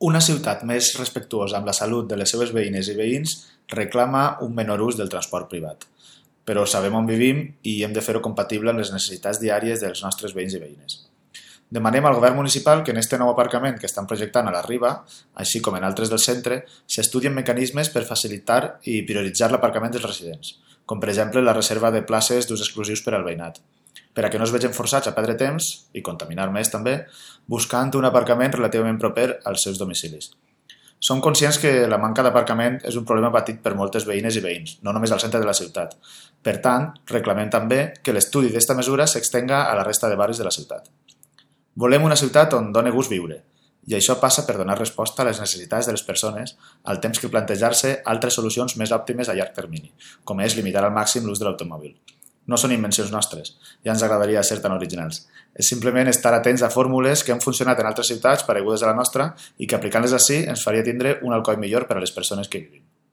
Una ciutat més respectuosa amb la salut de les seves veïnes i veïns reclama un menor ús del transport privat. Però sabem on vivim i hem de fer-ho compatible amb les necessitats diàries dels nostres veïns i veïnes. Demanem al govern municipal que en este nou aparcament que estan projectant a la Riba, així com en altres del centre, s'estudien mecanismes per facilitar i prioritzar l'aparcament dels residents, com per exemple la reserva de places d'ús exclusius per al veïnat, per a que no es vegin forçats a perdre temps, i contaminar més també, buscant un aparcament relativament proper als seus domicilis. Som conscients que la manca d'aparcament és un problema patit per moltes veïnes i veïns, no només al centre de la ciutat. Per tant, reclamem també que l'estudi d'esta mesura s'extenga a la resta de barris de la ciutat. Volem una ciutat on doni gust viure, i això passa per donar resposta a les necessitats de les persones al temps que plantejar-se altres solucions més òptimes a llarg termini, com és limitar al màxim l'ús de l'automòbil. No són invencions nostres, ja ens agradaria ser tan originals. És simplement estar atents a fórmules que han funcionat en altres ciutats paregudes a la nostra i que aplicant-les ací ens faria tindre un alcoi millor per a les persones que vivim.